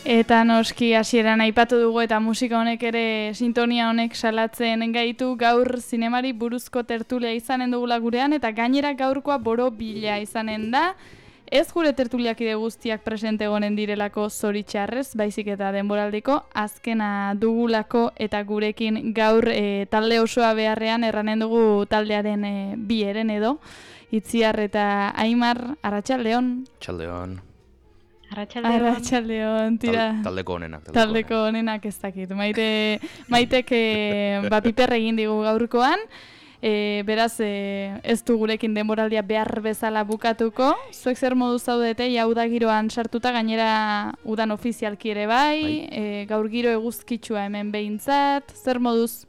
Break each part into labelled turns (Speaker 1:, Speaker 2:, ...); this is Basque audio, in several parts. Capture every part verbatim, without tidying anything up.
Speaker 1: Eta noski hasieran aipatu dugu eta musika honek ere sintonia honek salatzen gaitu gaur zinemari buruzko tertulia izanen dugula gurean eta gainera gaurkoa borobila izanen da. Ez gure tertuliakide guztiak presente egonen direlako zoritxarrez, baizik eta denboraldiko azkena dugulako eta gurekin gaur e, talde osoa beharrean erranen dugu taldearen e, bi eren edo. Itziar eta Aimar, Arratsaldeon.
Speaker 2: Arratsaldeon.
Speaker 3: Arratsaldeon.
Speaker 1: Arratsaldeon, tira.
Speaker 2: Tal, taldeko honenak.
Speaker 1: Taldeko, taldeko honenak ez dakit. Maite, maitek e, ba, piper egin digu gaurkoan. E, beraz, e, ez du gurekin denboraldia behar bezala bukatuko. Zuek zer modu zaudete, ja udagiroan sartuta, gainera udan ofizialki ere bai, bai. E, gaur giro eguzkitsua hemen behintzat, zer moduz?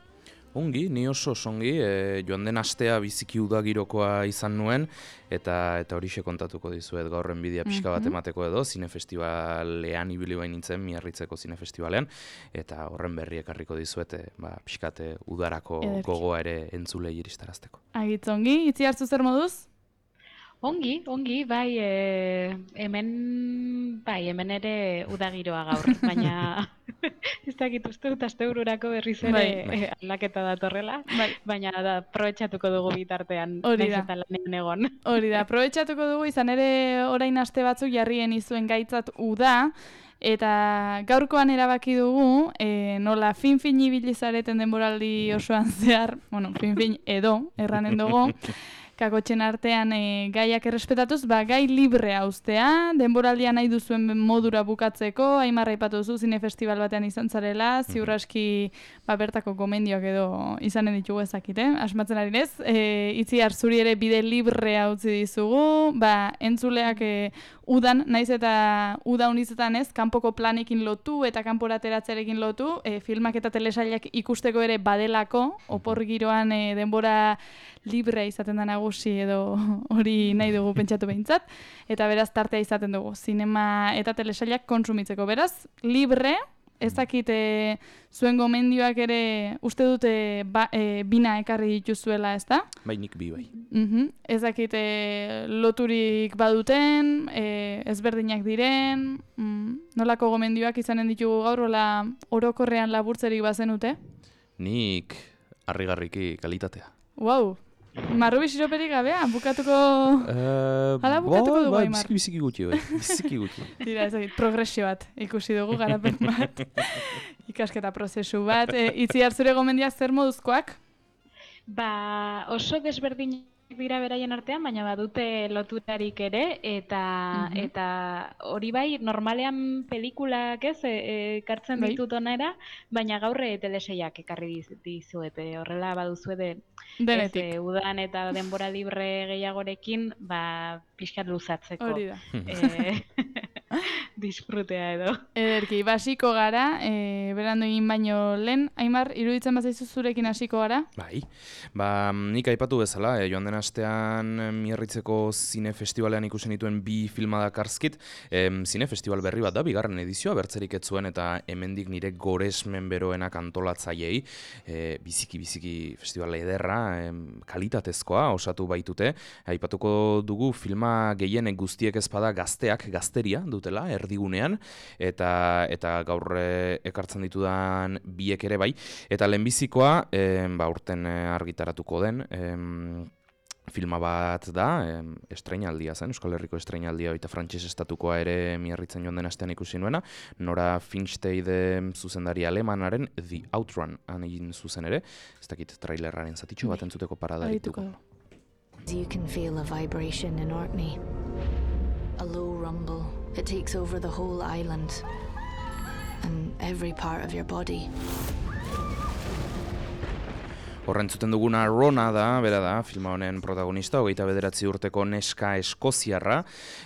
Speaker 2: Ongi, ni oso ongi, e, joan den astea biziki udagirokoa izan nuen, eta eta horixe kontatuko dizuet gaurren bidea pixka bat emateko edo, zinefestibalean ibili bain nintzen, Miarritzeko zinefestibalean, eta horren berri ekarriko dizuet, e, ba, pixkate udarako Ederki. Gogoa ere entzulei iristarazteko.
Speaker 1: Agitz ongi, itzi hartzu zer moduz?
Speaker 3: Ongi, ongi, bai, e, hemen, bai, hemen ere udagiroa gaur, baina ez dakit uste dut astebururako berriz ere bai, bai. E, aldaketa datorrela, bai. Baina da, aprobetxatuko dugu bitartean,
Speaker 1: hori da,
Speaker 3: eta lanean egon.
Speaker 1: Hori da, aprobetxatuko dugu izan ere orain aste batzuk jarrien izuen gaitzat uda, eta gaurkoan erabaki dugu, e, nola fin-fin ibilizareten denboraldi osoan zehar, bueno, fin-fin edo, erranen dugu, kakotxen artean e, gaiak errespetatuz, ba, gai librea uztea, denboraldia nahi duzuen modura bukatzeko, Aimar aipatu duzu zinefestibal batean izan zarela, ziur aski ba, bertako gomendioak edo izanen ditugu ezakit, eh? Asmatzen ari nez, e, Itziar zuri ere bide librea utzi dizugu, ba, entzuleak e, udan, naiz eta uda unizetan ez, kanpoko planekin lotu eta kanporateratzearekin lotu, e, filmak eta telesailak ikusteko ere badelako, opor giroan e, denbora librea izaten da nagusi edo hori nahi dugu pentsatu behintzat, eta beraz tartea izaten dugu, zinema eta telesailak kontsumitzeko. Beraz, libre, ez dakit e, zuen gomendioak ere uste dute ba, e, bina ekarri dituzuela, ez da?
Speaker 2: Bai, nik bi bai.
Speaker 1: Uh-huh. Ez dakit e, loturik baduten, e, ezberdinak diren, mm, nolako gomendioak izanen ditugu gaur, ola orokorrean laburtzerik bazenute?
Speaker 2: Nik harrigarriki kalitatea.
Speaker 1: Wow! Marrubi siroperik gabea, bukatuko...
Speaker 2: Uh,
Speaker 1: Hala bukatuko dugu,
Speaker 2: bai,
Speaker 1: Aimar.
Speaker 2: Biziki biziki gutxi, bai. Biziki gutxi.
Speaker 1: Dira, ez dakit, progresio bat ikusi dugu, garapen bat. Ikasketa prozesu bat. E, itzi hartzure gomendiak zer moduzkoak?
Speaker 3: Ba, oso desberdinak dira beraien artean, baina badute loturarik ere, eta uh-huh. eta hori bai, normalean pelikulak ez, ekartzen e, ditut onera, baina gaurre teleseiak ekarri dizuete, horrela baduzue de, ez, e, udan eta denbora libre gehiagorekin, ba, pixkat luzatzeko.
Speaker 1: Hori da.
Speaker 3: E, disfrutea edo.
Speaker 1: Ederki, basiko gara, e, berandu egin baino lehen, Aimar, iruditzen bazaizu zurekin hasiko gara?
Speaker 2: Bai, ba, nik aipatu bezala, e, joan den astean Miarritzeko zinefestibalean ikusen dituen bi filma dakarskit, e, zinefestibal berri bat da, bigarren edizioa, bertzerik ez zuen eta hemendik nire goresmen beroenak antolatzaileei, e, biziki-biziki festival ederra, e, kalitatezkoa osatu baitute, aipatuko dugu filma gehienek guztiek ezpada gazteak, gazteria dutela, erdigunean, eta eta gaur ekartzen ditudan biek ere bai, eta lehenbizikoa, e, ba, urten argitaratuko den, e, filma bat da, e, estreinaldia zen, Euskal Herriko estreinaldia eta frantses estatukoa ere Miarritzen joan den astean ikusi nuena, Nora Finsteide zuzendari alemanaren The Outrun egin zuzen ere, ez dakit trailerraren zatitxo bat entzuteko parada dituko.
Speaker 4: You can feel a vibration in Orkney, a low rumble. It takes over the whole island and every part of your body.
Speaker 2: Horren zuten duguna Rona da, bera da, filma honen protagonista, hogeita bederatzi urteko neska eskoziarra,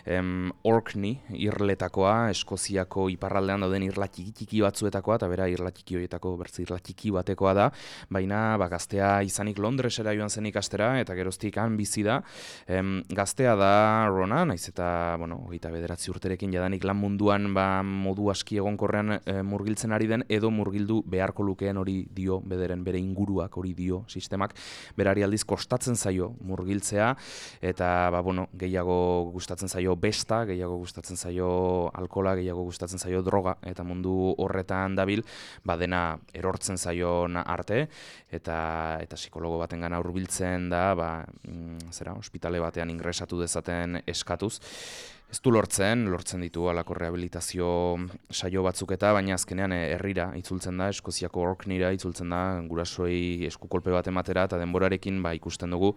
Speaker 2: em, Orkney, irletakoa, Eskoziako iparraldean dauden irla txiki batzuetakoa, eta bera irla txiki horietako bertzi irla txiki batekoa da, baina ba, gaztea izanik Londresera joan zen ikastera, eta geroztik han bizi da, em, gaztea da Rona, naiz eta, bueno, hogeita bederatzi urterekin jadanik lan munduan ba, modu aski egonkorrean e, murgiltzen ari den, edo murgildu beharko lukeen hori dio, bederen bere inguruak hori dio, audio sistemak, berari aldiz kostatzen zaio murgiltzea, eta ba, bueno, gehiago gustatzen zaio besta, gehiago gustatzen zaio alkola, gehiago gustatzen zaio droga, eta mundu horretan dabil, ba, dena erortzen zaion arte, eta eta psikologo batengana hurbiltzen da, ba, mm, zera, ospitale batean ingresatu dezaten eskatuz. Ez du lortzen, lortzen ditu halako rehabilitazio saio batzuk eta, baina azkenean herrira itzultzen da, Eskoziako Orkneyra itzultzen da, gurasoei eskukolpe bat ematera, eta denborarekin ba, ikusten dugu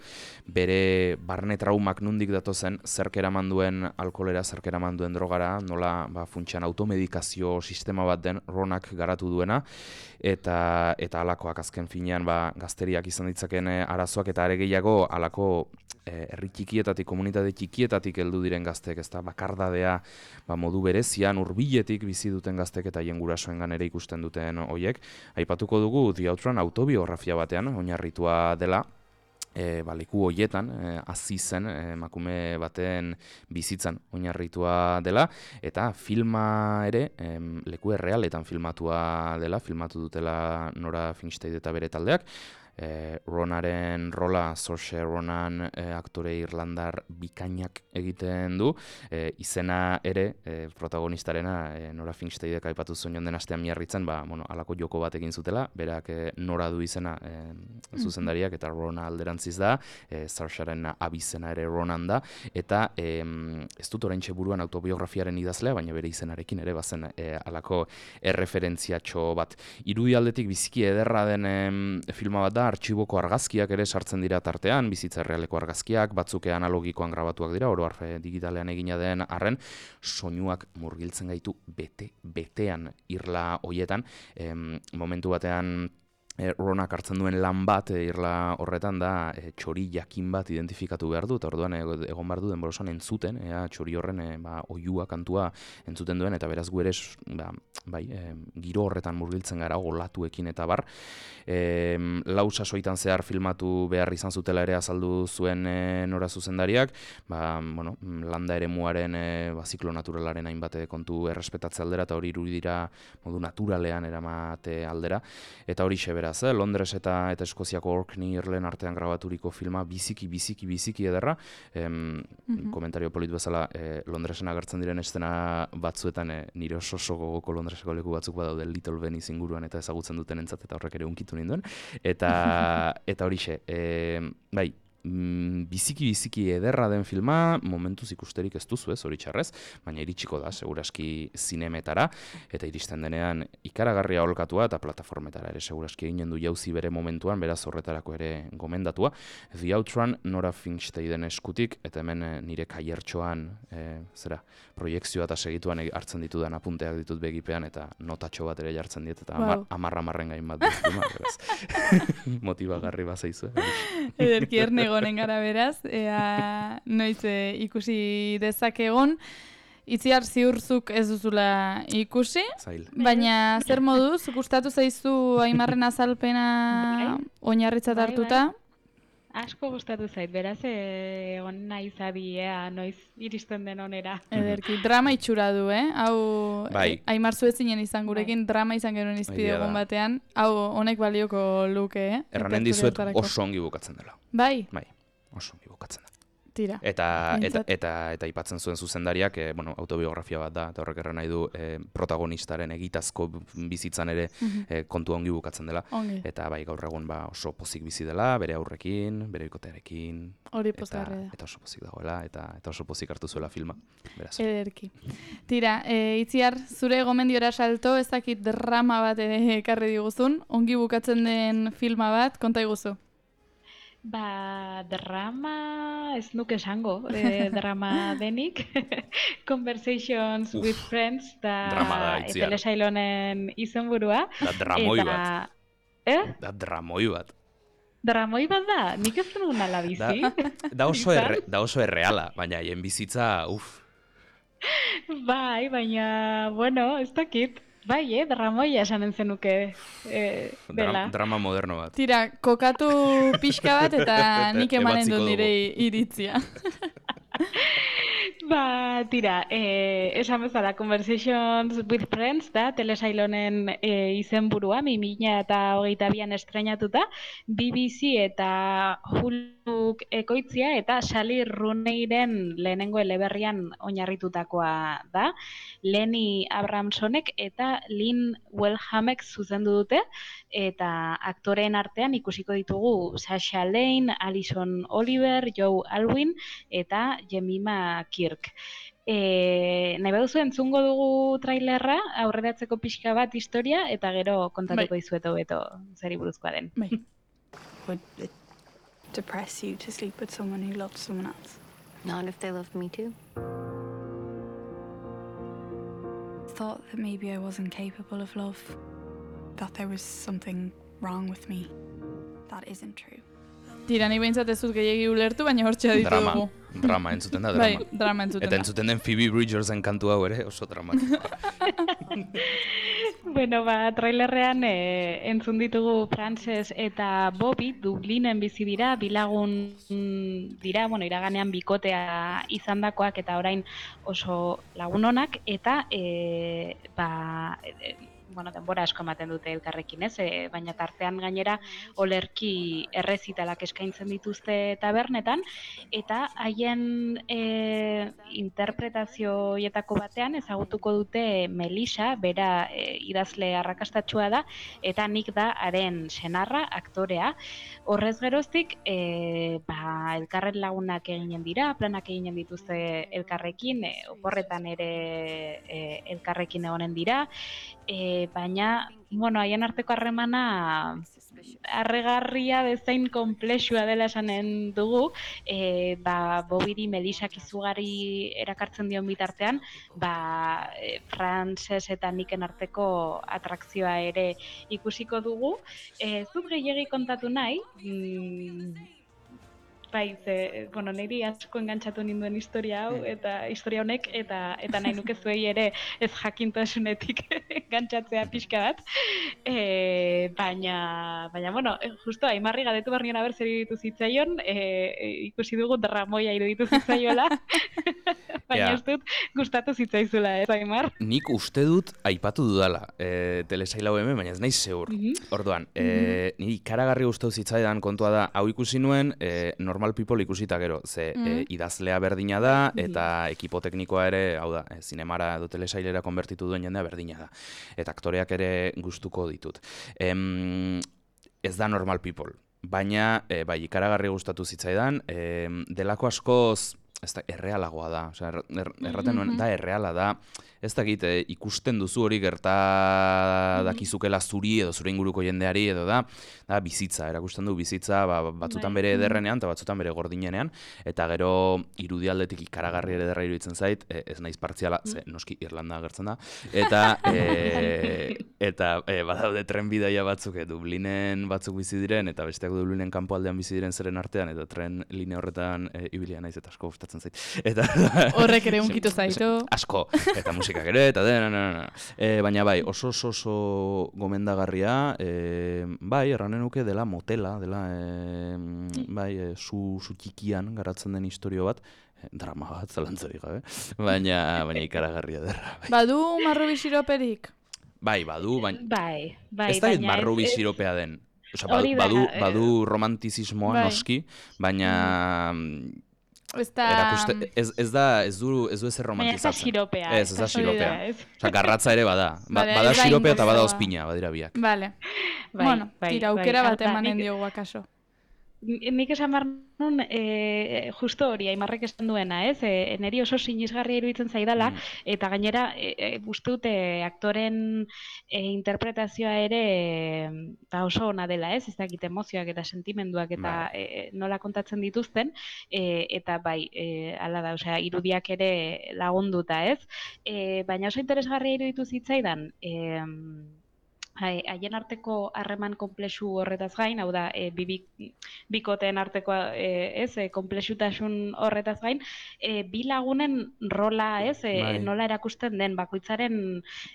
Speaker 2: bere barne traumak nundik datozen, zerk eraman duen alkoholera, zerk eraman duen drogara, nola ba, funtsean automedikazio sistema bat den Ronak garatu duena, eta eta halakoak azken finean ba, gazteriak izan ditzaken arazoak, eta are gehiago halako herri txikietatik, komunitate txikietatik heldu diren gaztek, ezta bakardadea ba, modu berezian hurbiletik bizi duten gaztek eta haien gurasoengan ere ikusten duten hoiek. Aipatuko dugu The Outrun autobiografia batean oinarritua dela. E, ba, leku hoietan, e, hazi zen emakume baten bizitzan oinarritua dela, eta filma ere e, leku errealetan filmatua dela, filmatu dutela Nora Finstead eta bere taldeak. E, Ronaren rola, Saoirse Ronan e, aktore irlandar bikainak egiten du, e, izena ere e, protagonistarena e, Nora Finsteadek aipatu zuen joan den astean miarritzen, ba, bueno, alako joko bat egin zutela, berak e, Nora du izena e, zuzendariak, eta Rona alderantziz da, e, Saoirsen abizena ere Ronan da, eta e, ez dut oraintxe buruan autobiografiaren idazlea, baina bere izenarekin ere bazen e, alako erreferentziatxo bat. Irudi aldetik biziki ederra den e, filma bat da, artxiboko argazkiak ere sartzen dira tartean, bizitza errealeko argazkiak, batzuk analogikoan grabatuak dira, oro har digitalean egina den arren, soinuak murgiltzen gaitu bete-betean irla hoietan, em, momentu batean E, Ronak hartzen duen lan bat e, irla horretan da e, txori jakin bat identifikatu behar du, eta orduan e, egon behar du denborosan entzuten, ea txori horren e, ba, oiua kantua entzuten duen, eta beraz gu ere ba, bai, e, giro horretan murgiltzen gara olatuekin eta bar. E, lau sasoitan zehar filmatu behar izan zutela ere azaldu zuen e, Nora zuzendariak, ba, bueno, landa ere muaren e, ba, ziklo naturalaren hainbat kontu errespetatze aldera, eta hori irudira modu naturalean eramate aldera, eta hori xe beraz, eh? Londres eta eta Eskoziako Orkney Irlen artean grabaturiko filma biziki, biziki, biziki ederra. Em, mm-hmm. Komentario polit bezala, eh, Londresen agertzen diren estena batzuetan eh, nire oso oso gogoko Londreseko leku batzuk badaude Little Venice inguruan eta ezagutzen duten entzat, eta horrek ere unkitu ninduen. Eta, eta horixe, eh, bai, biziki-biziki ederra den filma, momentuz ikusterik ez duzu ez, hori txarrez, baina iritsiko da, seguraski zinemetara, eta iristen denean ikaragarria holkatua eta plataformetara ere seguraski eginen du jauzi bere momentuan, beraz horretarako ere gomendatua. The Outrun Nora Finsteaden eskutik, eta hemen nire kaiertxoan, e, zera, proiekzioa eta segituan hartzen ditudan apunteak ditut begipean, eta notatxo bat ere jartzen diet, eta wow. Amarra-amarren gain bat duztuma, beraz. Motibagarri bazaizu.
Speaker 1: Ederki erne gonen gara beraz, ea noiz e, ikusi dezakegon. Itziar ziurzuk ez duzula ikusi,
Speaker 2: Zail.
Speaker 1: Baina zer moduz, gustatu zaizu Aimarren azalpena oinarritzat hartuta?
Speaker 3: Bai, bai. Asko gustatu zait, beraz egon naiz adi, ea noiz iristen den onera.
Speaker 1: Ederki, drama itxura du, eh? Hau,
Speaker 2: bai.
Speaker 1: Aimar zuetzinen izan gurekin, bai. Drama izan genuen izpide egun batean, hau honek balioko luke, eh?
Speaker 2: Erranen dizuet oso ongi bukatzen dela.
Speaker 1: Bai?
Speaker 2: Bai, oso ongi bukatzen da.
Speaker 1: Tira.
Speaker 2: Eta, eta, eta, eta aipatzen zuen zuzendariak, e, bueno, autobiografia bat da, eta horrek erran nahi du e, protagonistaren egitazko bizitzan ere mm-hmm. e, kontua ongi bukatzen dela.
Speaker 1: Ongi.
Speaker 2: Eta bai, gaur egun ba, oso pozik bizi dela, bere aurrekin, bere bikotearekin.
Speaker 1: Hori pozgarria da.
Speaker 2: Eta oso pozik dagoela, eta, eta oso pozik hartu zuela filma. Beraz.
Speaker 1: Ederki. Tira, e, Itziar, zure gomendiora salto, ez dakit drama bat ere ekarri diguzun, ongi bukatzen den filma bat, konta iguzu.
Speaker 3: Ba, drama, ez nuke esango, eh, drama denik. Conversations Uf, with Friends, da telesailonen izenburua.
Speaker 2: Da dramoi
Speaker 3: eta...
Speaker 2: bat.
Speaker 3: Eh?
Speaker 2: Da dramoi bat.
Speaker 3: Dramoi bat da, nik ez duen ala bizi.
Speaker 2: Da, da, oso erre, da oso erreala, baina hien bizitza, uf.
Speaker 3: Bai, baina, bueno, ez dakit. Bai, eh, dramoia esanen zenuke eh, dela.
Speaker 2: Drama moderno bat.
Speaker 1: Tira, kokatu pixka bat eta nik emanen du nire iritzia.
Speaker 3: Ba, tira, eh, esan bezala, Conversations with Friends da, telesailonen eh, izenburua, bi mila hogeita bian estrenatuta, B B C eta Huluk ekoitzia eta Sally Rooneyren lehenengo eleberrian oinarritutakoa da. Lenny Abramsonek eta Lynn Wellhamek zuzendu dute, eta aktoreen artean ikusiko ditugu Sasha Lane, Alison Oliver, Joe Alwyn eta Jemima Kirk. E, nahi baduzu entzungo dugu trailerra, aurreratzeko pixka bat historia, eta gero kontatuko
Speaker 1: Bai.
Speaker 3: dizueto beto zeri buruzkoa den.
Speaker 1: Bai.
Speaker 5: Would it depress you to sleep with someone who loved someone else?
Speaker 4: Not if they loved me too.
Speaker 5: Thought that maybe I wasn't capable of love, that there was something wrong with me. That isn't true.
Speaker 1: Tira, ni behintzat ez dut gehiagi ulertu, baina hortxe aditu
Speaker 2: Drama,
Speaker 1: dugu.
Speaker 2: drama, entzuten da,
Speaker 1: Bai,
Speaker 2: drama.
Speaker 1: drama entzuten
Speaker 2: Eta
Speaker 1: da.
Speaker 2: entzuten den Phoebe Bridgersen kantu hau ere, oso dramatikoa.
Speaker 3: Bueno, ba, trailerrean e, entzun ditugu Frances eta Bobby Dublinen bizi dira, bilagun mm, dira, bueno, iraganean bikotea izandakoak eta orain oso lagun onak, eta e, ba, e, bueno, denbora asko ematen dute elkarrekin, ez? E, baina tartean gainera olerki errezitalak eskaintzen dituzte tabernetan, eta haien e, interpretazioietako batean ezagutuko dute Melissa, bera e, idazle arrakastatsua da, eta nik da haren senarra, aktorea. Horrez geroztik, e, ba, elkarren lagunak eginen dira, planak eginen dituzte elkarrekin, e, oporretan ere e, elkarrekin egonen dira, e, baina, bueno, haien arteko harremana harregarria bezain konplexua dela esanen dugu, e, ba, Bobiri Melissak izugarri erakartzen dion bitartean, ba, e, Frances eta Niken arteko atrakzioa ere ikusiko dugu. E, zut gehiegi kontatu nahi, mm, bai, ze, bueno, niri asko engantzatu ninduen historia hau, eta historia honek, eta eta nahi nuke zuei ere ez jakintasunetik engantzatzea pixka bat. E, baina, baina, bueno, justo Aimarri galdetu behar nion aber zer iruditu zitzaion, e, ikusi dugu dramoia iruditu zitzaiola, baina
Speaker 2: Ja.
Speaker 3: ez dut gustatu zitzaizula, ez Aimar?
Speaker 2: Nik uste dut aipatu dudala e, telesail hau hemen, baina ez naiz zeur. Orduan, e, niri ikaragarri gustatu zitzaidan kontua da, hau ikusi nuen, e, Normal People ikusita gero, ze e, idazlea berdina da, eta ekipo teknikoa ere, hau da, e, zinemara edo telesailera konbertitu duen jendea berdina da. Eta aktoreak ere gustuko ditut. Em, ez da Normal People, baina e, bai, ikaragarri gustatu zitzaidan, e, delako askoz, ez da, errealagoa da, osea, er, er, erraten nuen, da erreala da, ez dakit, e, ikusten duzu hori gerta dakizukela zuri edo zure inguruko jendeari edo da, da bizitza, erakusten du bizitza, ba, batzutan bere ederrenean eta batzutan bere gordinenean, eta gero irudialdetik ikaragarri ere ederra iruditzen zait, e, ez naiz partziala, ze noski Irlanda agertzen da, eta e, eta e, badaude tren bidaia batzuk, e, Dublinen batzuk bizi diren, eta besteak Dublinen kanpoaldean bizi diren zeren artean, eta tren linea horretan e, ibilia naiz eta asko gustatzen zait. Eta
Speaker 1: Horrek ere unkitu zaitu.
Speaker 2: asko, eta musikak ere, eta dena, dena, e, baina bai, oso oso oso gomendagarria, e, bai, erranen nuke dela motela, dela, e, bai, e, zu, zu txikian garatzen den historio bat, e, drama bat, zalantzarik gabe, baina, baina ikaragarria derra. Bai,
Speaker 1: Badu marrubi siroperik?
Speaker 2: bai badu, baina,
Speaker 3: Bai, bai,
Speaker 2: ez da
Speaker 3: baina
Speaker 2: marrubi
Speaker 3: ez-
Speaker 2: siropea den. Osea,
Speaker 3: Hori da,
Speaker 2: badu,
Speaker 3: eh,
Speaker 2: badu romantizismoa
Speaker 1: bai.
Speaker 2: noski, baina
Speaker 1: Ez da...
Speaker 2: erakuste, ez, ez da, ez du, ez du ezer
Speaker 3: Baina ez da
Speaker 2: romantizatzen.
Speaker 3: siropea.
Speaker 2: Ez, ez da
Speaker 3: hori
Speaker 2: siropea.
Speaker 3: ez?
Speaker 2: Osea, garratza ere bada. Ba,
Speaker 1: Vale,
Speaker 2: bada
Speaker 1: ez da
Speaker 2: siropea eta bada
Speaker 1: ingozoa.
Speaker 2: ospina, badira biak.
Speaker 1: Vale.
Speaker 3: Bai,
Speaker 1: Bueno,
Speaker 3: bai,
Speaker 1: tira,
Speaker 3: bai.
Speaker 1: aukera bat
Speaker 3: Hau da,
Speaker 1: emanen
Speaker 3: nik-
Speaker 1: diogu akaso.
Speaker 3: Nik esan behar nun, e, justo hori, Aimarrek esan duena, ez? E, neri oso sinisgarria iruditzen zaidala,
Speaker 2: Mm.
Speaker 3: eta gainera, e, e, uste dute aktoren e, interpretazioa ere e, ba oso ona dela, ez? Ez dakit emozioak eta sentimenduak eta
Speaker 2: Bai.
Speaker 3: e, nola kontatzen dituzten, e, eta bai, e, hala da, osea, irudiak ere lagunduta, ez? E, baina oso interesgarria iruditu zitzaidan, e, haien arteko harreman konplexu horretaz gain, hau da, e, bi, bikoteen arteko e, ez, e, konplexutasun horretaz gain, e, bi lagunen rola, ez, e, nola erakusten den, bakoitzaren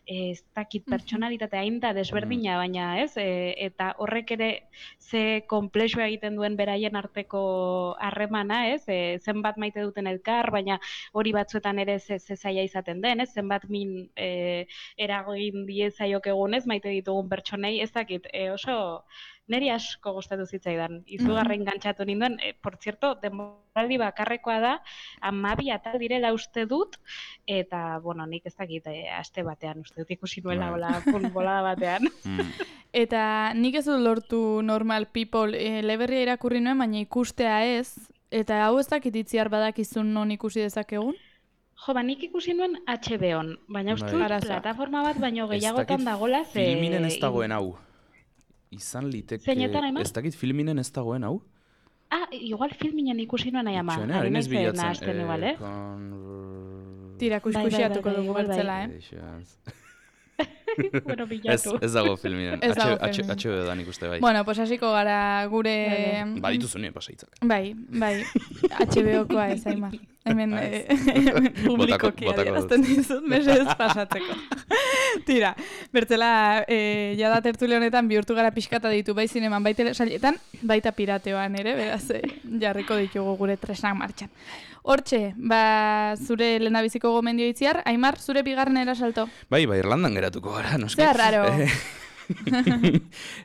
Speaker 3: e, ez dakit pertsonalitatea hain da desberdina, baina ez, e, eta horrek ere ze konplexua egiten duen beraien arteko harremana, ez, e, zenbat maite duten elkar, baina hori batzuetan ere ze, ze zaila izaten den, ez, zenbat min e, eragin diezaiok egunez, maite ditugun pertsonei, ez dakit, e, oso niri asko gustatu zitzaidan. Izugarren gantzatu ninduen, e, por cierto, denboraldi bakarrekoa da, hamabi atal direla uste dut, eta, bueno, nik ez dakit, e, aste batean uste dut ikusi nuela, hola, bolada batean.
Speaker 1: Eta nik ez dut lortu Normal People, e, eleberria irakurri nuen, baina ikustea ez, eta hau ez dakit itziar badakizun non ikusi dezakegun?
Speaker 3: Jo, ba, nik ikusi nuen H B On, baina uste dut plataforma bat baino gehiagotan dagola, ze...
Speaker 2: Filminen ez dagoen hau. Izan liteke...
Speaker 3: Zeinetan, Aimar?
Speaker 2: Ez dakit filminen ez dagoen hau?
Speaker 3: Ah, igual filminen ikusi nuen nahi ama.
Speaker 2: Itxoen, harin ez bilatzen.
Speaker 3: Nahazten igual, eh?
Speaker 1: Tira, kuskusiatuko dugu bertzela, eh?
Speaker 3: Bueno, bilatu.
Speaker 2: Ez dago filminen.
Speaker 1: Ez dago
Speaker 2: H
Speaker 1: filminen.
Speaker 2: B O dan ikuste bai.
Speaker 1: Bueno, pues hasiko gara gure...
Speaker 2: Ba, dituzu nien pasaitzak.
Speaker 1: Bai, bai, H B O-koa ez, Aimar. Hemen publikoki adierazten dizut, mesedez pasatzeko. Tira, bertzela, e, jada tertule honetan bihurtu gara pixkata ditu bai zineman, bai telesailetan, baita pirateoan ere, beraz, e, jarriko ditugu gure tresnak martxan. Hortxe, ba, zure lehendabiziko gomendio itziar, Aimar, zure bigarren erasalto?
Speaker 2: Bai, ba, Irlandan geratuko gara, noski.
Speaker 1: Zer raro.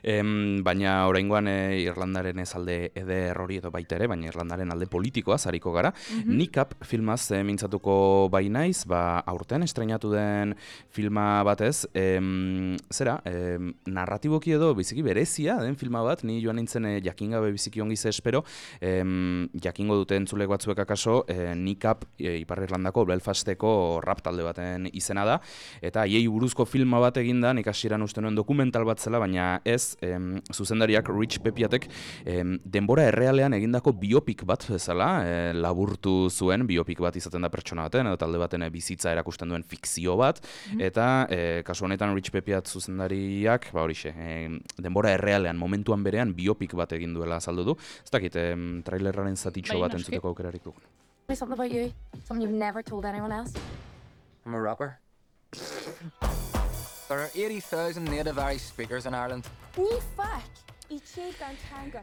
Speaker 2: em, baina oraingoan e, Irlandaren ez alde eder hori edo baita ere, baina Irlandaren alde politikoa zariko gara. Mm-hmm. Nikap filmaz e, mintzatuko bai naiz, ba, aurten estreinatu den filma batez, em, zera, em, narratiboki edo biziki berezia den filma bat, ni joan nintzen e, jakingabe biziki ongi ze espero, em, jakingo duten entzulek batzuek akaso, e, Nikap e, Ipar Irlandako Belfasteko rap talde baten izena da, eta haiei buruzko filma bat eginda, nik hasieran uste nuen dokumental bat zela, baina ez, em, zuzendariak Rich Pepiatek em, denbora errealean egindako biopik bat bezala, e, laburtu zuen, biopik bat izaten da pertsona baten, edo talde baten bizitza erakusten duen fikzio bat, mm-hmm. eta e, kasu honetan Rich Pepiat zuzendariak, ba horixe, e, denbora errealean, momentuan berean biopik bat egin duela azaldu du. Ez dakit, em, trailerraren zatitxo bat entzuteko aukerarik dugun.
Speaker 6: Tell me something about you, something you've never told anyone else.
Speaker 7: I'm a rapper. There are eighty thousand native Irish speakers in Ireland.
Speaker 6: Ní fuck!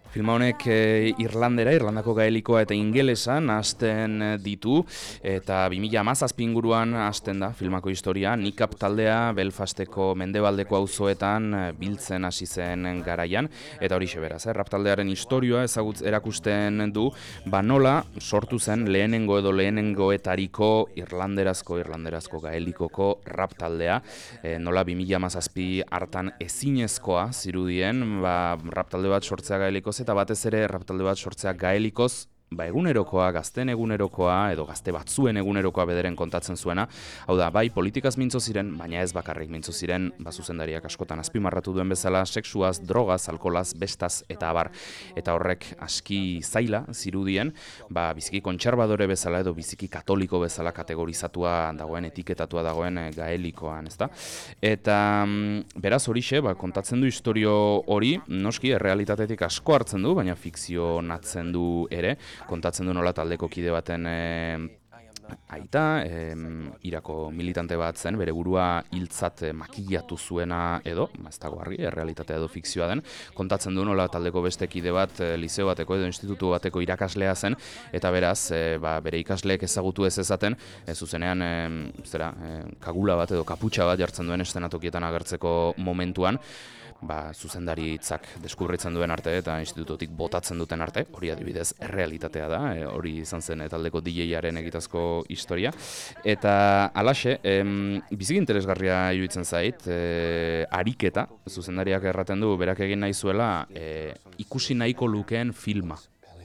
Speaker 2: Filma honek e, Irlandera, Irlandako gaelikoa eta ingelesan hasten ditu, eta bi mila hamazazpi inguruan hasten da filmako historia. Nikap taldea Belfasteko mendebaldeko auzoetan biltzen hasi zen garaian, eta horixe beraz, eh? Rap taldearen historia ezagutz erakusten du, ba nola sortu zen lehenengo edo lehenengoetariko irlanderazko, irlanderazko gaelikoko rap taldea, e, nola bi mila hamazazpi hartan ezinezkoa zirudien, ba rap talde bat sortzea gaelikoz, eta batez ere rap talde bat sortzea gaelikoz, ba egunerokoa, gazten egunerokoa, edo gazte batzuen egunerokoa bederen kontatzen zuena. Hau da, bai politikaz mintzo ziren, baina ez bakarrik mintzo ziren, ba zuzendariak askotan azpimarratu duen bezala, sexuaz, drogaz, alkolaz, bestaz eta abar. Eta horrek aski zaila zirudien, ba biziki kontserbadore bezala edo biziki katoliko bezala kategorizatua dagoen, etiketatua dagoen gaelikoan, ezta? Eta beraz horixe, ba kontatzen du istorio hori, noski errealitatetik asko hartzen du, baina fikzionatzen du ere. Kontatzen du nola taldeko kide baten e, aita, e, Irako militante bat zen, bere burua hiltzat makillatu zuena edo, ez dago argi, errealitatea edo fikzioa den, kontatzen du nola taldeko beste kide bat, e, liceo bateko edo institutu bateko irakaslea zen, eta beraz, e, ba, bere ikasleek ezagutu ez ezaten, e, zuzenean, e, zera, e, kagula bat edo kaputxa bat jartzen duen eszenatokietan agertzeko momentuan, ba, zuzendari hitzak deskubritzen duen arte eta institutotik botatzen duten arte, hori adibidez errealitatea da, e, hori izan zen e, taldeko D J-aren egitazko historia. Eta alaxe, em, biziki interesgarria iruditzen zait, e, ariketa, zuzendariak erraten du, berak egin nahi zuela, e, ikusi nahiko lukeen filma.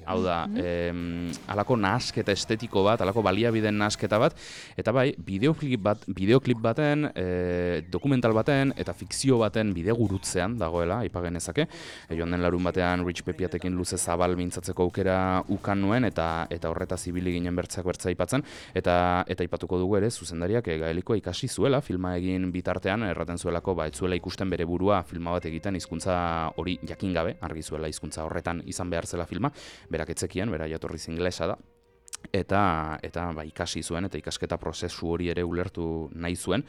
Speaker 2: Hau da, em, alako nahasketa estetiko bat, alako baliabideen nahasketa bat, eta bai, bideoklip bat, bideoklip baten, e, dokumental baten, eta fikzio baten bidegurutzean dagoela, aipagen ezake. E, joan den larun batean Rich Pepiatekin luze zabal mintzatzeko aukera ukan nuen, eta eta horretaz ibili ginen bertzak bertza aipatzen, eta eta aipatuko dugu ere, zuzendariak e, gaelikoa ikasi zuela, filma egin bitartean, erraten zuelako, ba, ez zuela ikusten bere burua filma bat egiten hizkuntza hori jakin gabe, argi zuela hizkuntza horretan izan behar zela filma, berak etzekien, bera jatorriz ingelesa da, eta eta ba, ikasi zuen, eta ikasketa prozesu hori ere ulertu nahi zuen.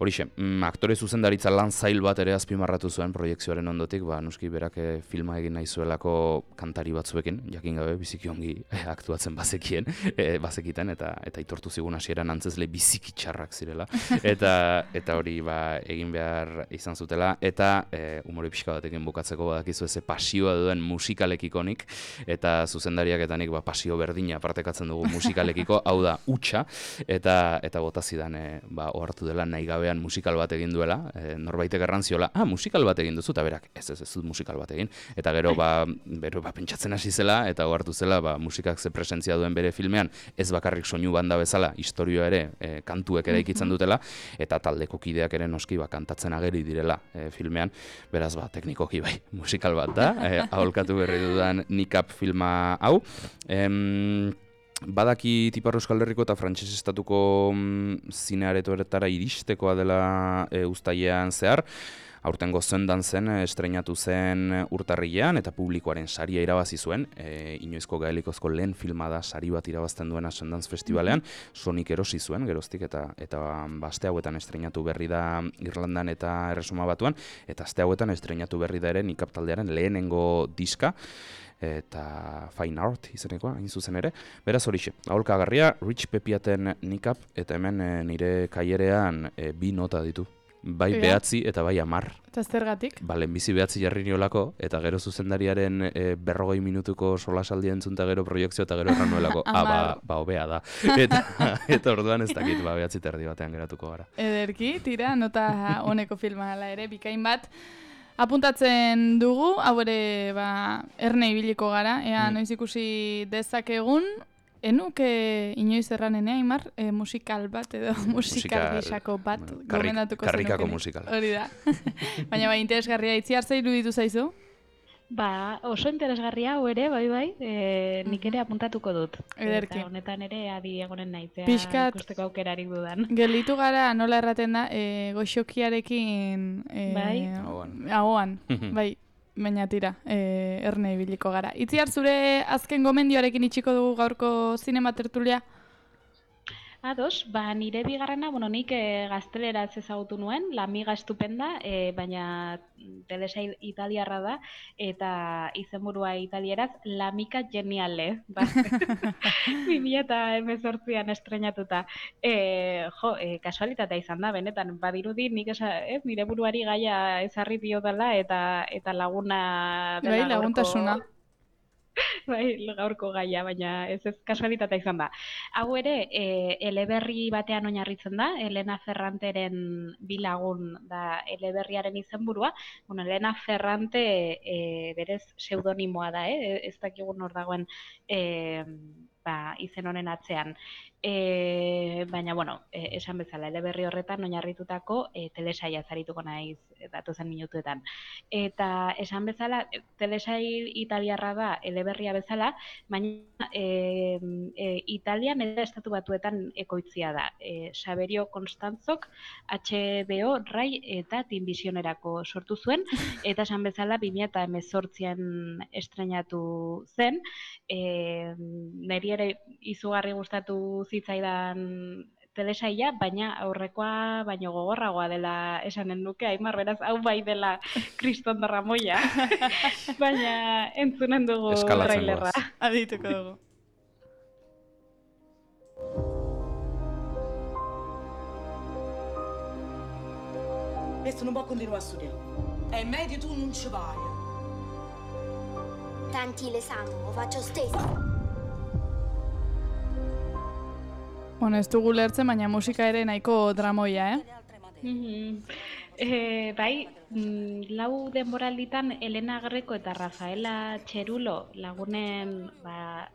Speaker 2: Horixe, mm, aktore zuzendaritza lan zail bat ere azpimarratu zuen proiekzioaren ondotik, ba, nuski berak e, filma egin nahi zuelako kantari batzuekin, jakin gabe biziki ongi e, aktuatzen bazekien, e, bazekiten, eta eta itortu zigun hasieran antzezle biziki txarrak zirela, eta eta hori ba, egin behar izan zutela, eta e, umore pixka batekin bukatzeko badakizu eze pasioa duen musikalekikonik, eta zuzendariak eta nik ba, pasio berdina partekatzen dugu musikalekiko, hau da, hutsa, eta eta bota zidan e, ba, ohartu dela nahi gabe musikal bat egin duela, e, norbaitek errantziola, ah, musikal bat egin duzu, eta berak, ez ez ez dut musikal bat egin, eta gero, ba, bero, ba, pentsatzen hasi zela, eta ohartu zela, ba, musikak ze presentzia duen bere filmean, ez bakarrik soinu banda bezala, historioa ere, e, kantuek ere ikitzen dutela, eta taldeko kideak ere noski, ba, kantatzen ageri direla e, filmean, beraz, ba, teknikoki bai, musikal bat da, e, aholkatu berri dudan Nikap filma hau, em, badaki Ipar Euskal Herriko eta frantses estatuko mm, zine aretoetara iristekoa dela e, uztailean zehar, aurtengo Sundancen estreinatu zen urtarrilean eta publikoaren saria irabazi zuen, e, inoizko gaelikozko lehen filma da sari bat irabazten duena Sundance Festivalean, Sonik erosi zuen geroztik, eta eta aste hauetan estreinatu berri da Irlandan eta Erresuma Batuan, eta aste hauetan estreinatu berri da ere Nikap taldearen lehenengo diska, eta Fine Art izenekoa, hain zuzen ere. Beraz horixe, aholkagarria, Rich Pepiaten Nikap, eta hemen e, nire kaierean e, bi nota ditu. Bai
Speaker 1: Ega.
Speaker 2: behatzi eta bai amar.
Speaker 1: Eta zergatik?
Speaker 2: Ba, lehenbizi behatzi jarri niolako, eta gero zuzendariaren e, berrogei minutuko solasaldi entzunta gero proiektzio, eta gero erran nuelako, ah, ba, ba, hobea da. Eta, eta orduan ez dakit, ba, behatzi terdi batean geratuko gara.
Speaker 1: Ederki, tira, nota honeko filma hala ere, bikain bat. Apuntatzen dugu, hau ere ba, erne ibiliko gara, ea
Speaker 2: Mm.
Speaker 1: noiz ikusi dezakegun, enuke inoiz erranenea, Aimar, e, musikal bat edo musikal gisako bat
Speaker 2: karrik,
Speaker 1: gomendatuko
Speaker 2: karrikako
Speaker 1: zenukenik.
Speaker 2: musikal.
Speaker 1: Hori da. Baina ba, interesgarria, Itziar zer iruditu zaizu?
Speaker 3: Ba, oso interesgarria hau ere, bai bai, e, nik ere apuntatuko dut.
Speaker 1: Ederki.
Speaker 3: Eta honetan ere adi egonen naizea
Speaker 1: Pixkat-
Speaker 3: ikusteko aukerarik dudan.
Speaker 1: Gelditu gara, nola erraten da, e, goxokiarekin e,
Speaker 3: Bai.
Speaker 2: Ahoan.
Speaker 1: ahoan, bai, baina tira, e, erne ibiliko gara. Itziar, zure azken gomendioarekin itxiko dugu gaurko zinema tertulia?
Speaker 3: Ados, ba, nire bigarrena, bueno, nik e, gazteleraz ezagutu nuen, La Amiga Estupenda, e, baina telesail italiarra da, eta izenburua italieraz, La Amica Geniale, ba, bi mila hemezortzian estreinatuta. E, jo, e, kasualitatea izan da, benetan, badirudi nik esa, ez, nire buruari gaia ezarri diodala, eta eta laguna dela
Speaker 1: Bai,
Speaker 3: gaurko-
Speaker 1: laguntasuna.
Speaker 3: Bai, gaurko gaia, baina ez ez kasualitatea izan da. Hau ere, e, eleberri batean oinarritzen da, Elena Ferranteren bilagun da eleberriaren izenburua. Bueno, Elena Ferrante e, berez pseudonimoa da, eh? ez dakigun hor dagoen e, ba, izen honen atzean. E, baina, bueno, e, esan bezala, eleberri horretan oinarritutako e, telesaia zarituko naiz datozen minutuetan. Eta esan bezala, e, telesail italiarra da eleberria bezala, baina e, e, Italian eta estatu batuetan ekoitzia da. E, Saverio Costanzok H B O, Rai eta Tinvisionerako sortu zuen, eta esan bezala bi mila hemezortzian estreinatu zen. E, niri ere izugarri gustatu zitzaidan telesaila, baina aurrekoa baino gogorragoa dela esanen nuke, Aimar, beraz, hau bai dela kriston darramoia, baina entzunen dugu
Speaker 2: Eskalatzen
Speaker 3: trailerra.
Speaker 2: goaz.
Speaker 1: Adituko dugu.
Speaker 8: Questo non può continuare a studiare. È meglio tu non ci vai.
Speaker 6: Tanti l'esame, lo faccio stesso.
Speaker 1: Bueno, ez dugu lertzen, baina musika ere nahiko dramoia, eh?
Speaker 3: Mhm. E, bai, mm, lau denboralditan Elena Greco eta Rafaela Txerulo lagunen ba,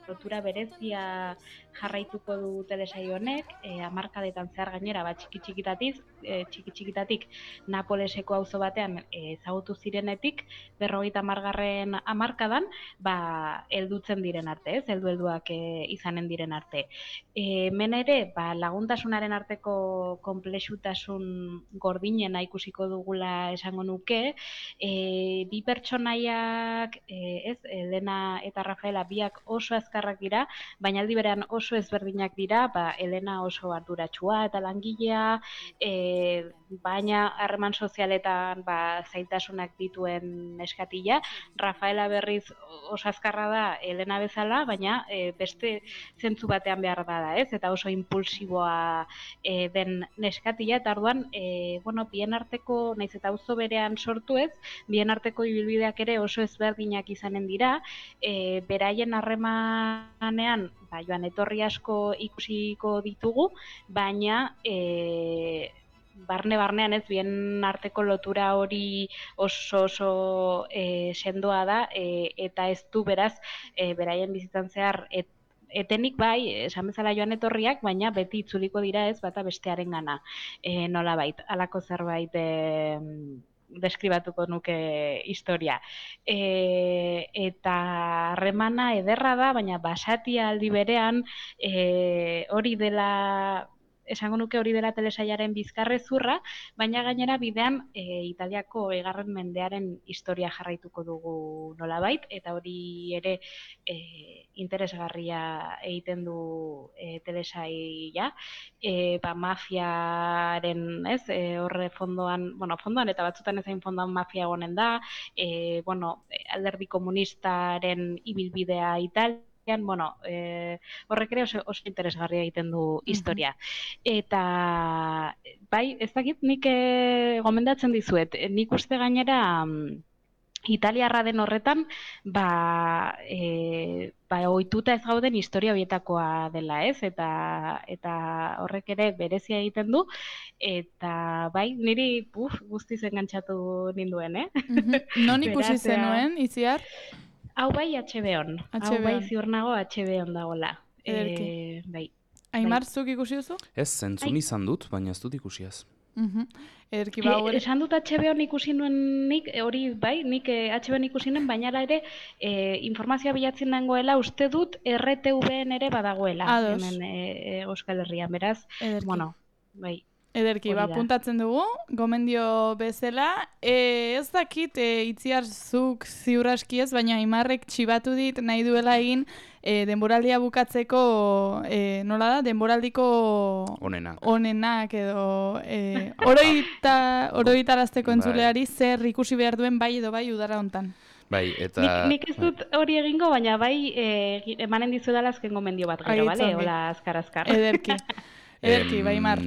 Speaker 3: lotura berezia jarraituko du telesaio honek, e, hamarkadetan zehar gainera, ba, txiki txikitatik, e, txiki txikitatik Napoleseko auzo batean e, ezagutu zirenetik, berrogeita hamargarren hamarkadan, ba, heldutzen diren arte, ez, heldu helduak e, izanen diren arte. E, hemen ere, ba, laguntasunaren arteko konplexutasun gordinena ikusiko dugula esango nuke, e, bi pertsonaiak, e, ez, Elena eta Rafaela biak oso azkarrak dira, baina aldi berean oso ezberdinak dira, ba, Elena oso arduratsua eta langilea, e, baina harreman sozialetan ba, zailtasunak dituen neskatila, Rafaela berriz oso azkarra da Elena bezala, baina e, beste zentzu batean behar da, ez? Eta oso impulsiboa e, den neskatila, eta orduan, e, bueno, bien arteko, naiz eta auzo berean sortu ez, bien arteko ibilbideak ere oso ezberdinak izanen dira, e, beraien harremanean, ba, joan etorri asko ikusiko ditugu, baina e, barne-barnean ez, bien arteko lotura hori oso oso e, sendoa da, e, eta ez du beraz, e, beraien bizitzan zehar, et, etenik bai, esan bezala joan etorriak, baina beti itzuliko dira ez, bata bestearen gana, e, nolabait, halako zerbait e, deskribatuko nuke historia. E, eta harremana ederra da, baina basatia aldi berean, e, hori dela, esango nuke hori dela telesailaren bizkarrezurra, baina gainera bidean e, Italiako egarren mendearen historia jarraituko dugu nolabait, eta hori ere e, interesgarria egiten du e, telesaila, e, ba, mafiaren, ez, e, horre fondoan, bueno, fondoan eta batzutan ezain fondoan mafia egonen da, e, bueno, alderdi komunistaren ibilbidea Italia, bueno, e, horrek ere oso, oso interesgarria egiten du historia. Eta, bai, ez dakit nik e, gomendatzen dizuet, nik uste gainera mm, italiarra den horretan, ba, e, ba, ohituta ez gauden historia horietakoa dela, ez? Eta, eta horrek ere berezia egiten du, eta bai, niri puf, guztiz engantzatu ninduen, eh?
Speaker 1: Non ikusi
Speaker 3: Beraz,
Speaker 1: zenuen, Itziar?
Speaker 3: Hau bai H B On, hau bai ziur nago H B On dagoela. E, bai.
Speaker 1: Aimar, zuk ikusi duzu?
Speaker 2: Ez, zentzun izan dut, baina ez dut ikusiaz.
Speaker 1: Uh-huh. Ederki ba,
Speaker 3: E, esan dut H B On ikusi nuen nik, hori bai, nik eh, H B On ikusi nuen, baina ere eh, informazioa bilatzen dagoela, uste dut R T V-en ere badagoela.
Speaker 1: Ados.
Speaker 3: Hemen e, e, Euskal Herrian, beraz,
Speaker 1: Ederki.
Speaker 3: bueno, bai.
Speaker 1: Ederki, ba, puntatzen dugu, gomendio bezala. E, ez dakit, e, Itziar zuk ziurraski ez, baina Aimarrek txibatu dit nahi duela egin e, denboraldia bukatzeko, e, nola da, denboraldiko
Speaker 2: Onenak.
Speaker 1: onenak edo e, oroita, oroitarazteko entzuleari zer ikusi behar duen bai edo bai udara hontan.
Speaker 2: Bai, eta...
Speaker 3: Nik, nik ez dut hori egingo, baina bai e, emanen dizuedala azken gomendio bat gero, bale? Hola, azkar-azkar.
Speaker 1: Ederki. Ederki, bai, Mar.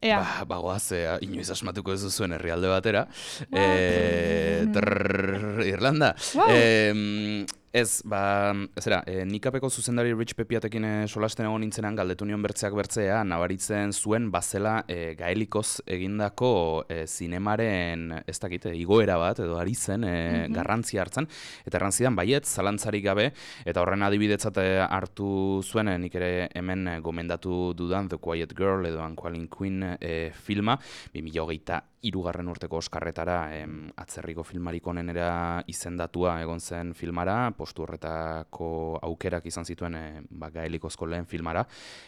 Speaker 1: Ea.
Speaker 2: Ba, bagoaz, ea, inoiz asmatuko ez duzuen herrialde batera. E, trrr, Irlanda.
Speaker 1: Wow.
Speaker 2: E, ez, ba, zera, e, Nikapeko zuzendari Rich Pepiatekin e, solasten egon nintzenan galdetu nion bertzeak bertzea, nabaritzen zuen bazela e, gaelikoz egindako e, zinemaren, ez dakite, igoera bat, edo ari zen, e, mm-hmm. garrantzia hartzen, eta errantzidan baiet, zalantzarik gabe, eta horren adibidetzat hartu zuen, e, nik ere hemen e, gomendatu dudan The Quiet Girl, edo Unqualling Queen e, filma, bi mila hogeita hirugarren urteko Oskarretara em, atzerriko filmarik onenera izendatua egon zen filmara, postu horretako aukerak izan zituen e, ba, gaelikozko lehen filmara,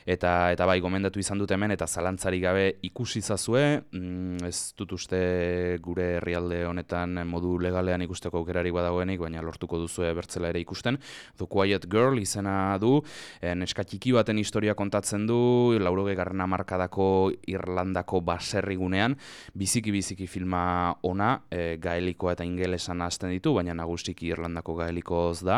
Speaker 2: eta eta bai gomendatu izan dut hemen, eta zalantzarik gabe ikusi zazue, mm, ez dut uste gure herrialde honetan modu legalean ikusteko aukerarik badagoenik, baina lortuko duzue bertzela ere ikusten. The Quiet Girl izena du, e, neska txiki baten historia kontatzen du, laurogeigarren hamarkadako Irlandako baserrigunean, bizi biziki filma ona, e, gaelikoa eta ingelesan hasten ditu, baina nagusiki Irlandako gaelikoz da,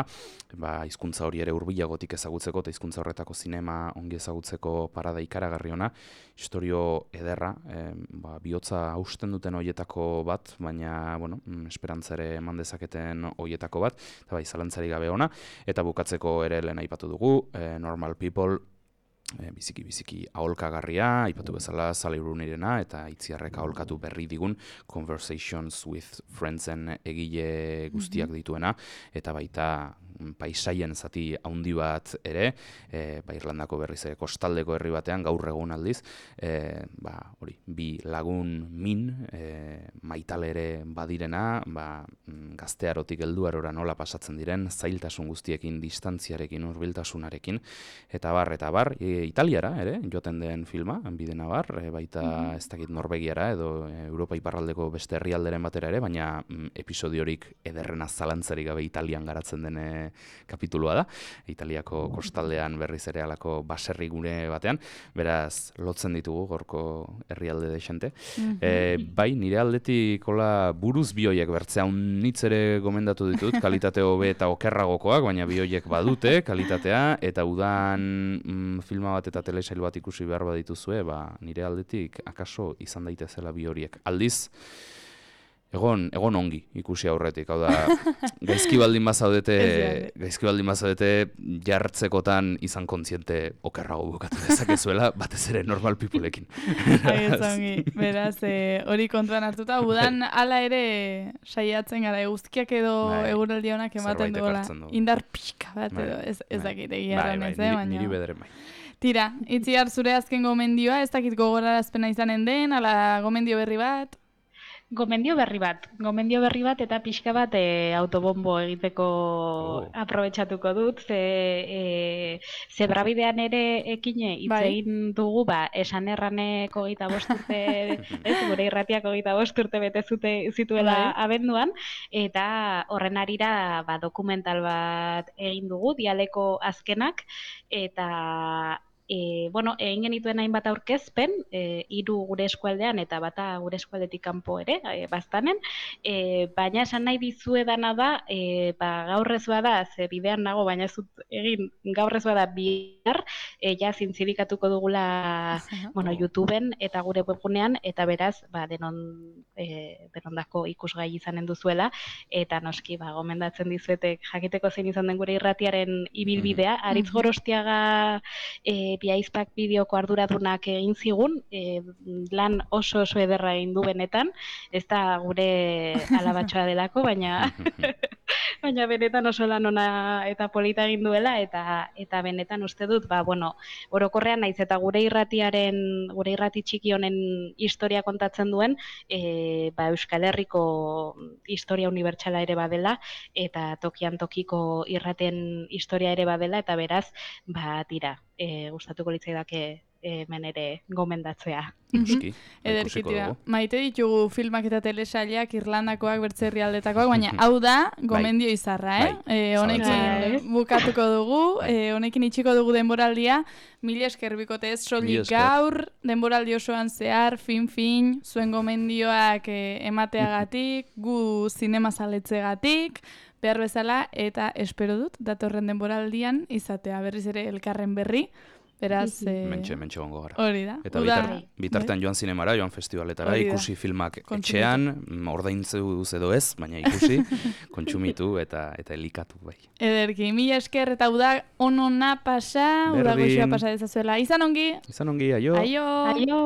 Speaker 2: ba, hizkuntza hori ere hurbilagotik ezagutzeko, eta hizkuntza horretako zinema ongi ezagutzeko parada ikaragarri ona, historio ederra, e, ba, bihotza hausten duten hoietako bat, baina, bueno, esperantza ere eman dezaketen hoietako bat, eta bai, zalantzari gabe ona, eta bukatzeko ere lehen aipatu dugu, e, Normal People, e, biziki biziki aholkagarria, aipatu bezala Sally Rooneyrena eta Itziarrek aholkatu berri digun Conversations with Friendsen egile guztiak dituena, eta baita paisaien zati handi bat ere, e, ba, Irlandako berriz ere kostaldeko herri batean, gaur egun aldiz, e, ba, hori, bi lagun min, e, maitale ere badirena, ba, gaztearotik helduarora nola pasatzen diren, zailtasun guztiekin, distantziarekin, hurbiltasunarekin, eta bar, eta bar, e, Italiara ere, joten den filma, bidena bar, e, baita ez dakit Norvegiara edo e, Europa iparraldeko beste herrialderen batera ere, baina mm, episodiorik ederrena zalantzarik gabe Italian garatzen dene kapitulua da, Italiako kostaldean berriz ere alako baserri gune batean, beraz lotzen ditugu gorko herrialde desente. Mm-hmm. E, bai, nire aldetik hola buruz bioiek bertzea unitz ere gomendatu ditut, kalitate hobe eta okerragokoak, baina bioiek badute kalitatea, eta udan mm, filma bat eta telesail bat ikusi behar badituzue, ba, nire aldetik akaso izan daitezela bi horiek. Aldiz, Egon, egon ongi ikusi aurretik, hau da, gaizki baldin bazaudete, gaizki baldin bazaudete jartzekotan izan kontziente okerrago bukatu dezakezuela, batez ere normal peopleekin.
Speaker 1: Ongi, beraz, hori kontuan hartuta, udan hala ere saiatzen gara, guztiak edo eguraldi honak ematen duela, indar pixka bat edo, ez, ez dakit egiarran ez, baina.
Speaker 2: Niri bederen bai.
Speaker 1: Tira, Itziar, zure azken gomendioa, ez dakit gogorarazpena izanen den, ala gomendio berri bat?
Speaker 3: Gomendio berri bat, gomendio berri bat eta pixka bat e, autobombo egiteko oh. aprobetxatuko dut, ze, e, ze brabidean ere ekine hitz egin dugu, ba, esan erraneko gita bosturte, ez, gure irratiako gita bosturte bete zute, zituela Bai. abenduan, eta horren arira ba, dokumental bat egin dugu, dialeko azkenak, eta E, bueno, egin genituen hainbat aurkezpen, e, hiru gure eskualdean eta bata gure eskualdetik kanpo ere, e, baztanen, e, baina esan nahi dizuedana da, e, ba, gaur ez bada, ze bidean nago, baina ez dut egin gaur ez bada bihar, e, ja zintzirikatuko dugula bueno, YouTubeen eta gure webgunean, eta beraz, ba, denon, e, denondako ikusgai izanen duzuela, eta noski, ba, gomendatzen dizuetek jakiteko zein izan den gure irratiaren ibilbidea, Aritz Gorostiaga e, Biaizpak bideoko arduradunak egin zigun, e, lan oso oso ederra egin du benetan, ez da gure alabatxoa delako, baina baina benetan oso lan ona eta polita egin duela, eta eta benetan uste dut, ba, bueno, orokorrean naiz eta gure irratiaren, gure irrati txiki honen historia kontatzen duen, e, ba, Euskal Herriko historia unibertsala ere badela, eta tokian tokiko irraten historia ere badela, eta beraz, ba, tira, E, gustatuko litzaidake hemen ere gomendatzea.
Speaker 2: Ikuski,
Speaker 1: Ederki tira. Maite ditugu filmak eta telesailak Irlandakoak, bertze herrialdetakoak, baina hau da gomendio izarra, eh?
Speaker 2: Bai.
Speaker 1: E, honekin bukatuko dugu, e, honekin itxiko dugu denboraldia, mila esker bikote ez soilik gaur, denboraldi osoan zehar, fin-fin, zuen gomendioak e, emateagatik, gu zinemazaletzagatik, behar bezala, eta espero dut, datorren denboraldian izatea berriz ere elkarren berri, beraz... Eh,
Speaker 2: mentxe, mentxe gongo gara.
Speaker 1: Hori da.
Speaker 2: Eta bitar, bitartean joan zinemara, joan festivaletara, ikusi filmak etxean, ordaintzu edo ez, baina ikusi, kontsumitu eta eta elikatu bai.
Speaker 1: Ederki, mila esker eta uda onona pasa, uda goxua pasa dezazuela. Izan ongi!
Speaker 2: Izan ongi, aio!
Speaker 1: Aio!
Speaker 3: Aio!